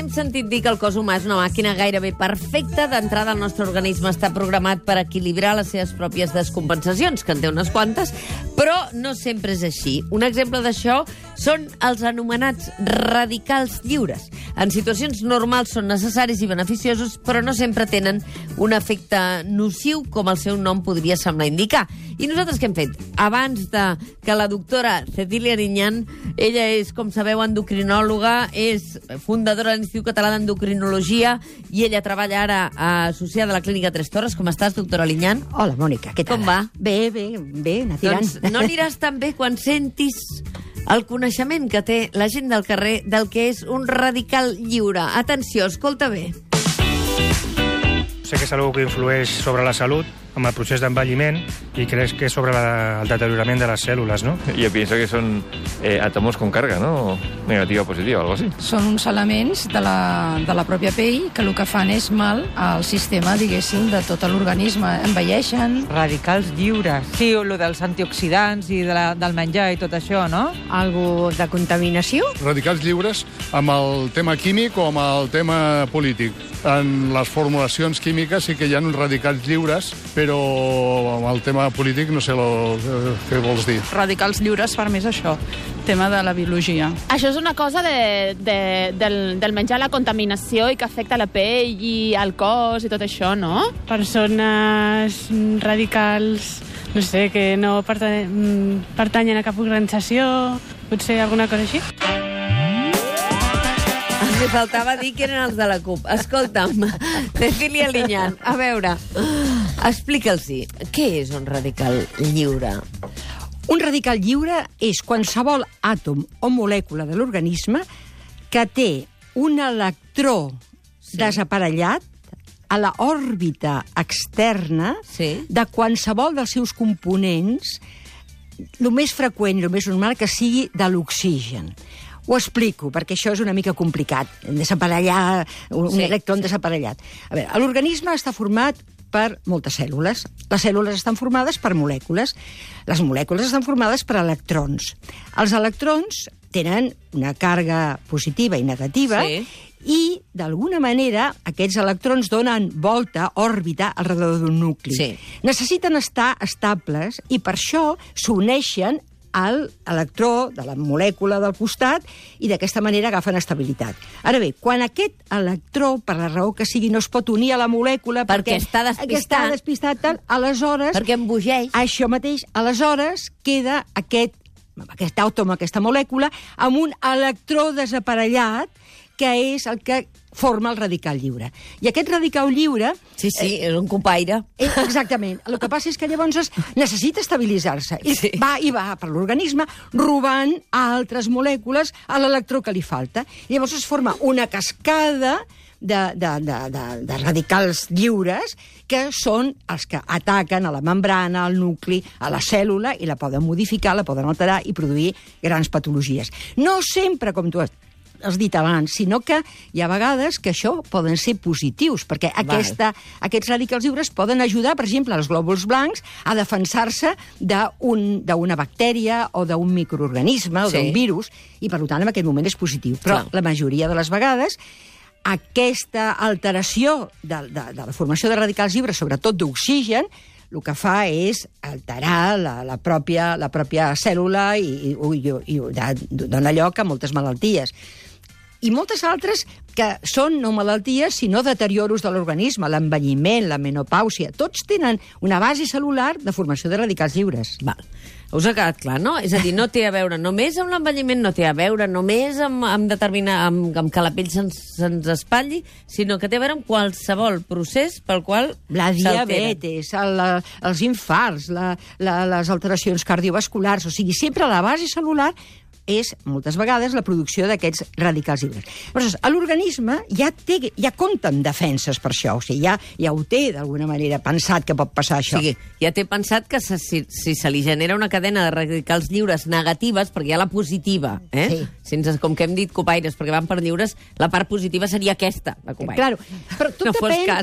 hem sentit dir que el cos humà és una màquina gairebé perfecta. D'entrada, el nostre organisme està programat per equilibrar les seves pròpies descompensacions, que en té unes quantes, però no sempre és així. Un exemple d'això són els anomenats radicals lliures. En situacions normals són necessaris i beneficiosos, però no sempre tenen un efecte nociu, com el seu nom podria semblar indicar. I nosaltres què hem fet? Abans que la doctora Cecília Ariñán, ella és, com sabeu, endocrinòloga, és fundadora de l'Institut Català d'Endocrinologia i ella treballa ara associada a la Clínica Tres Torres. Com estàs, doctora Ariñán? Hola, Mònica, què tal? Com va? Bé, anar tirant. Doncs no aniràs tan bé quan sentis el coneixement que té la gent del carrer del que és un radical lliure. Atenció, escolta bé. Sé que és algo que influeix sobre la salut, amb el procés d'envelliment, y crees que es sobre el deterioramiento de las células, ¿no? Yo pienso que son átomos con carga, ¿no? Negativa o positiva, algo así. Són uns elements de la pròpia pell que el que fan és mal al sistema, diguéssim, de tot l'organisme. Envelleixen. Radicals lliures. Sí, o lo dels antioxidants i del menjar i tot això, no? Algo de contaminació? Radicals lliures amb el tema químic o amb el tema polític. En les formulacions químiques sí que hi ha uns radicals lliures, però amb el tema polític no sé què vols dir. Radicals lliures per mi és això, tema de la biologia. Això és una cosa del menjar, la contaminació i que afecta la pell i el cos i tot això, no? Persones radicals, no sé, que no pertanyen a cap organització, potser alguna cosa així. Li faltava dir que eren els de la CUP. Escolta'm, Cecília Ariñán, a veure, explica'ls-hi, què és un radical lliure? Un radical lliure és qualsevol àtom o molècula de l'organisme que té un electró desaparellat a la òrbita externa de qualsevol dels seus components, el més freqüent i el més normal que sigui de l'oxigen. Ho explico, perquè això és una mica complicat, desaparellar, un electró desaparellat. A veure, l'organisme està format per moltes cèl·lules. Les cèl·lules estan formades per molècules. Les molècules estan formades per electrons. Els electrons tenen una càrrega positiva i negativa i, d'alguna manera, aquests electrons donen volta, òrbita, al redador d'un nucli. Necessiten estar estables i per això s'uneixen a l'electró de la molècula del costat i d'aquesta manera agafen estabilitat. Ara bé, quan aquest electró, per la raó que sigui, no es pot unir a la molècula perquè està despistat, aleshores... Perquè embogeix. Això mateix, aleshores queda aquest àtom, aquesta molècula, amb un electró desaparellat, que és el que forma el radical lliure. I aquest radical lliure... Sí, és un copaire. Exactament. El que passa és que llavors necessita estabilitzar-se. I va per l'organisme robant a altres molècules a l'electró que li falta. I llavors es forma una cascada de radicals lliures que són els que ataquen a la membrana, al nucli, a la cèl·lula i la poden modificar, la poden alterar i produir grans patologies. No sempre, com tu has dit abans, sinó que hi ha vegades que això poden ser positius, perquè aquests radicals lliures poden ajudar, per exemple, als glòbuls blancs a defensar-se d'una bactèria o d'un microorganisme o d'un virus, i per tant en aquest moment és positiu. Però la majoria de les vegades aquesta alteració de la formació de radicals lliures, sobretot d'oxigen, el que fa és alterar la pròpia cèl·lula i dona lloc a moltes malalties. I moltes altres que són no malalties, sinó deterioros de l'organisme, l'envelliment, la menopàusia. Tots tenen una base cel·lular de formació de radicals lliures. Us ha quedat clar, no? És a dir, no té a veure només amb l'envelliment, no té a veure només amb que la pell se'ns espatlli, sinó que té a veure amb qualsevol procés pel qual la diabetes, els infarts, les alteracions cardiovasculars, o sigui, sempre la base cel·lular és, moltes vegades, la producció d'aquests radicals lliures. Llavors, l'organisme ja compta amb defenses per això, o sigui, ja ho té, d'alguna manera, pensat que pot passar això. O sigui, ja té pensat que si se li genera una cadena de radicals lliures negatives, perquè hi ha la positiva, com que hem dit copaires, perquè van per lliures, la part positiva seria aquesta, la copaire. Claro, però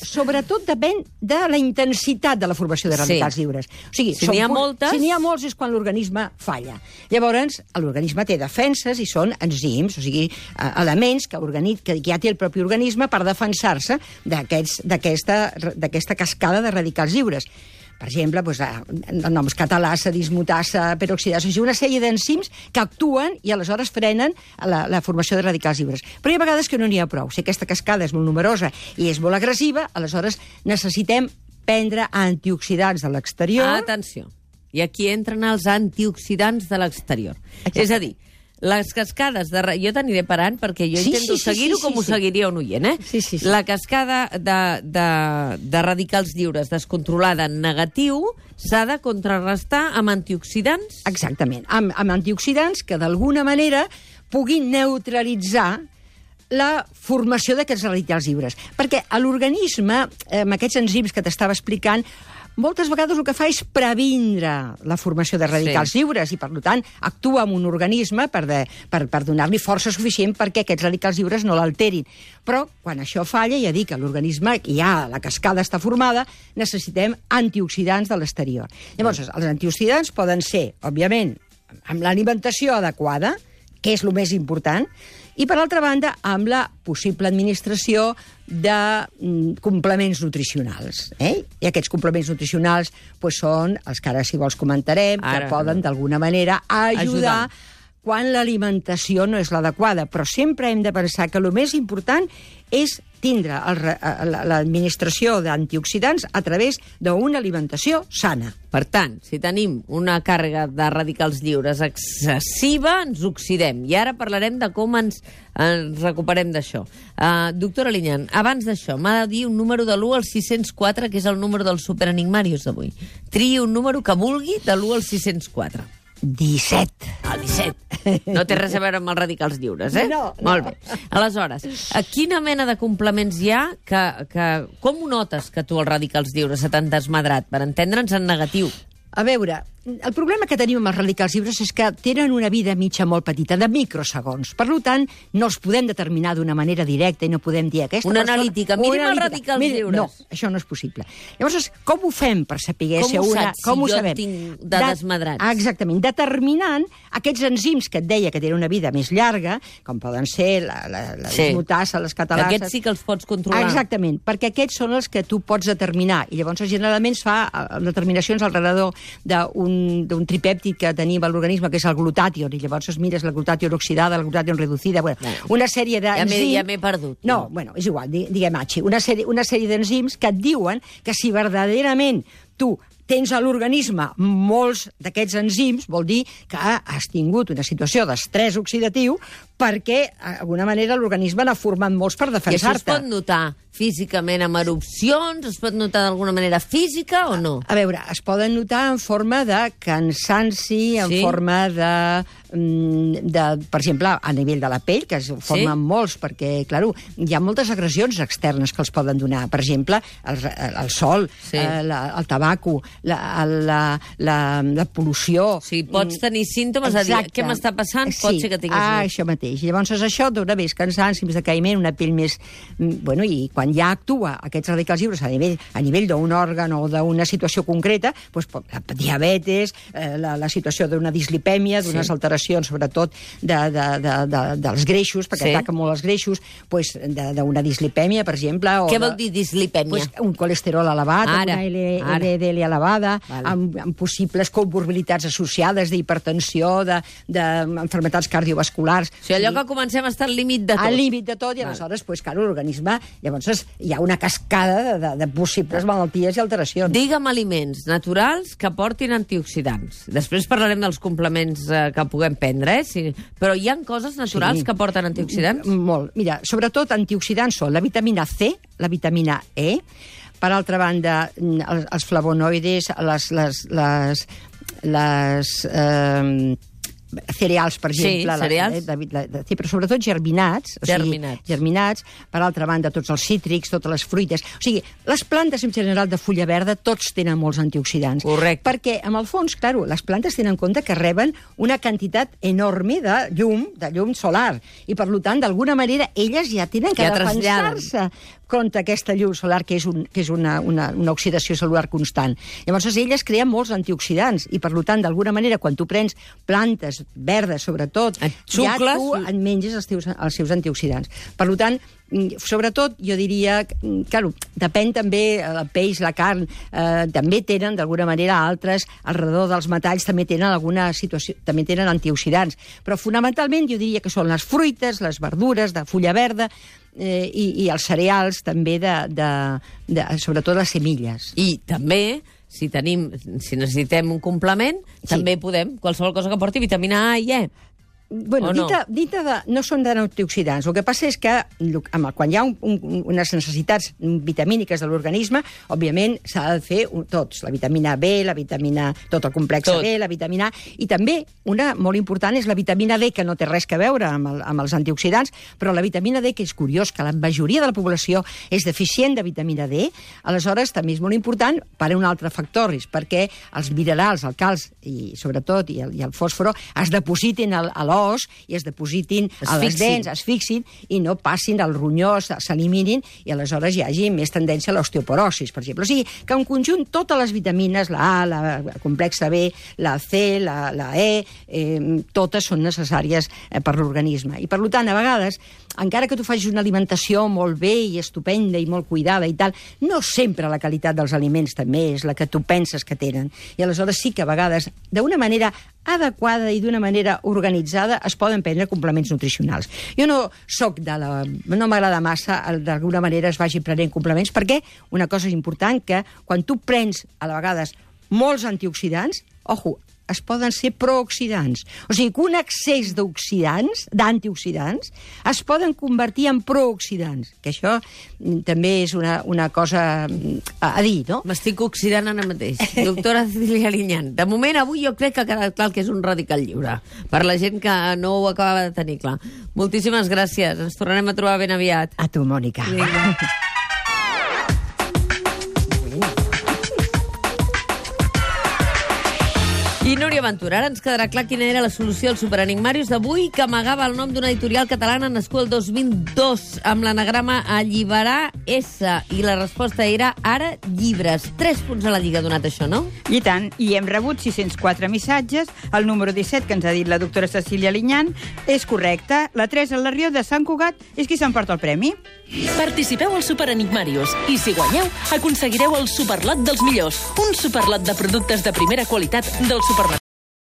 sobretot depèn de la intensitat de la formació de radicals lliures. O sigui, si n'hi ha molts és quan l'organisme falla. Llavors, l'organisme té defenses i són enzims, o sigui, elements que ja té el propi organisme per defensar-se d'aquesta cascada de radicals lliures. Per exemple, noms catalasa, dismutasa, peroxidasa, una sèrie d'enzims que actuen i aleshores frenen la formació de radicals lliures. Però hi ha vegades que no n'hi ha prou. Si aquesta cascada és molt numerosa i és molt agressiva, aleshores necessitem prendre antioxidants de l'exterior. Atenció. I aquí entren els antioxidants de l'exterior. És a dir, les cascades de... Jo t'aniré parant perquè jo intento seguir-ho com ho seguiria un oient, eh? Sí. La cascada de radicals lliures descontrolada en negatiu s'ha de contrarrestar amb antioxidants? Exactament, amb antioxidants que d'alguna manera puguin neutralitzar la formació d'aquests radicals lliures. Perquè a l'organisme, amb aquests enzims que t'estava explicant, moltes vegades el que fa és previndre la formació de radicals lliures i, per tant, actua en un organisme per donar-li força suficient perquè aquests radicals lliures no l'alterin. Però, quan això falla, ja dic que l'organisme, la cascada està formada, necessitem antioxidants de l'exterior. Llavors, els antioxidants poden ser, òbviament, amb l'alimentació adequada, que és el més important, i, per altra banda, amb la possible administració de complements nutricionals. I aquests complements nutricionals són els que ara, si vols, comentarem, que poden, d'alguna manera, ajudar quan l'alimentació no és l'adequada. Però sempre hem de pensar que el més important és tindre l'administració d'antioxidants a través d'una alimentació sana. Per tant, si tenim una càrrega de radicals lliures excessiva, ens oxidem. I ara parlarem de com ens recuperem d'això. Doctora Liñán, abans d'això, m'ha de dir un número de l'1 al 604, que és el número dels superenigmarius d'avui. Triï un número que vulgui de l'1 al 604. 17. El 17. No té res a veure amb els radicals lliures, eh? No. Molt bé. Aleshores, quina mena de complements hi ha com ho notes que tu els radicals lliures se t'han desmadrat? Per entendre'ns en negatiu. A veure, el problema que tenim amb els radicals lliures és que tenen una vida mitja molt petita, de microsegons. Per tant, no els podem determinar d'una manera directa i no podem dir aquesta una analítica. Mirin els radicals lliures. No, això no és possible. Llavors, com ho fem per saber si una... Com ho saps si jo tinc de desmadrats? Exactament, determinant aquests enzims que et deia que tenen una vida més llarga, com poden ser la dismutasa, les catalases... Aquests sí que els pots controlar. Exactament, perquè aquests són els que tu pots determinar. I llavors, generalment, es fa determinacions al redador d'un tripèptid que tenim a l'organisme, que és el glutàtion, i llavors es mires la glutàtion oxidada, la glutàtion reducida, una sèrie d'enzims... Ja m'he perdut. No, és igual, diguem H. Una sèrie d'enzims que et diuen que si verdaderament tu tens a l'organisme molts d'aquests enzims, vol dir que has tingut una situació d'estrès oxidatiu perquè, d'alguna manera, l'organisme n'ha format molts per defensar-te. I això es pot notar físicament amb erupcions? Es pot notar d'alguna manera física o no? A veure, es poden notar en forma de cansanci, en forma per exemple, a nivell de la pell, que es formen molts, perquè, clar, hi ha moltes agressions externes que els poden donar. Per exemple, el sol, el tabaco, la pol·lució... Sí, pots tenir símptomes de dir, què m'està passant? Pot ser que tinguis... Això mateix. Llavors, això dona més cansanci, més decaïment, una pell més... Bueno, i quan ja actua aquests radicals lliures a nivell d'un òrgan o d'una situació concreta, la diabetes, la situació d'una dislipèmia, d'unes alteracions, sobretot dels greixos, perquè ataquen molt els greixos, d'una dislipèmia, per exemple... Què vol dir dislipèmia? Un colesterol elevat, una LDL elevada, amb possibles comorbilitats associades d'hipertensió, d'enfermetats cardiovasculars... O sigui, allò que comencem a estar al límit de tot. Al límit de tot, i aleshores, clar, l'organisme... Llavors hi ha una cascada de possibles malalties i alteracions. Digue'm aliments naturals que portin antioxidants. Després parlarem dels complements que puguem prendre, però hi ha coses naturals que porten antioxidants? Molt. Mira, sobretot antioxidants són la vitamina C, la vitamina E, per altra banda, els flavonoides, les cereals, per exemple. Cereals. Però sobretot germinats. Germinats. Per altra banda, tots els cítrics, totes les fruites. O sigui, les plantes en general de fulla verda tots tenen molts antioxidants. Correcte. Perquè, en el fons, clar, les plantes tenen en compte que reben una quantitat enorme de llum solar. I, per tant, d'alguna manera, elles ja tenen que defensar-se contra aquesta llum solar, que és una oxidació celular constant. Llavors, elles creen molts antioxidants i, per tant, d'alguna manera, quan tu prens plantes verdes, sobretot, ja tu et menges els seus antioxidants. Per tant, sobretot, jo diria, claro, depèn també, el peix, la carn, també tenen, d'alguna manera, altres, alrededor dels metalls, també tenen alguna situació, també tenen antioxidants. Però, fonamentalment, jo diria que són les fruites, les verdures de fulla verda, i els cereals, també, sobretot les semilles. I també, si necessitem un complement, també podem, qualsevol cosa que porti vitamina A i E. Bueno, no són d'antioxidants. El que passa és que quan hi ha unes necessitats vitamíniques de l'organisme, òbviament s'ha de fer tots, la vitamina B, tot el complex B, la vitamina A, i també una molt important és la vitamina D, que no té res a veure amb els antioxidants, però la vitamina D, que és curiós que la majoria de la població és deficient de vitamina D, aleshores també és molt important per un altre factor, és perquè els minerals, el calç i sobretot i el fòsforo es depositin a l'os i es depositin a les dents, es fixin i no passin al ronyó, s'eliminin i aleshores hi hagi més tendència a l'osteoporosis, per exemple. O sigui, que en conjunt totes les vitamines, la A, la complexa B, la C, la E, totes són necessàries per l'organisme. I per tant, a vegades, encara que tu facis una alimentació molt bé i estupenda i molt cuidada i tal, no sempre la qualitat dels aliments també és la que tu penses que tenen. I aleshores sí que a vegades, d'una manera adequada i d'una manera organitzada, es poden prendre complements nutricionals. Jo no m'agrada massa, d'alguna manera es vagi prenent complements, perquè una cosa és important, que quan tu prens, a vegades, molts antioxidants, es poden ser prooxidants. O sigui, que un excés d'antioxidants, es poden convertir en prooxidants, que això també és una cosa a dir, no? M'estic oxidant ara mateix. Doctora Cecília Liñán, de moment avui jo crec que ha quedat clar que és un radical lliure, per la gent que no ho acabava de tenir clar. Moltíssimes gràcies, ens tornarem a trobar ben aviat. A tu, Mònica. I Núria Ventura, ara ens quedarà clar quina era la solució al Superenigmarius d'avui, que amagava el nom d'una editorial catalana nascuda el 2002, amb l'anagrama Alliberar S, i la resposta era Ara Llibres. 3 punts a la Lliga ha donat això, no? I tant, i hem rebut 604 missatges. El número 17, que ens ha dit la doctora Cecília Liñán, és correcte. La Teresa Larrió de Sant Cugat és qui s'emporta el premi. Participeu al Superenigmarius i, si guanyeu, aconseguireu el superlot dels millors, un superlot de productes de primera qualitat del supermercat